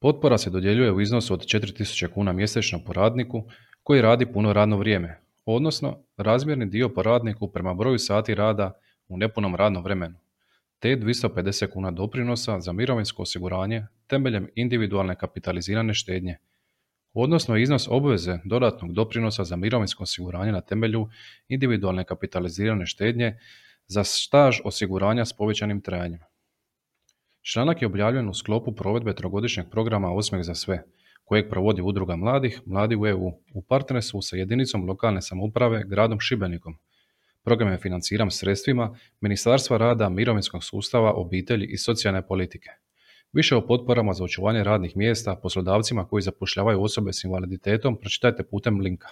Potpora se dodjeljuje u iznosu od 4.000 kuna mjesečno po radniku koji radi puno radno vrijeme, odnosno razmjerni dio po radniku prema broju sati rada u nepunom radnom vremenu, te 250 kuna doprinosa za mirovinsko osiguranje temeljem individualne kapitalizirane štednje, odnosno iznos obveze dodatnog doprinosa za mirovinsko osiguranje na temelju individualne kapitalizirane štednje za staž osiguranja s povećanim trajanjem. Članak je objavljen u sklopu provedbe trogodišnjeg programa Osmijeh za sve, kojeg provodi Udruga mladih, Mladi u EU, u partnerstvu sa jedinicom lokalne samouprave gradom Šibenikom. Program je financiran sredstvima Ministarstva rada, mirovinskog sustava, obitelji i socijalne politike. Više o potporama za očuvanje radnih mjesta poslodavcima koji zapošljavaju osobe s invaliditetom pročitajte putem linka.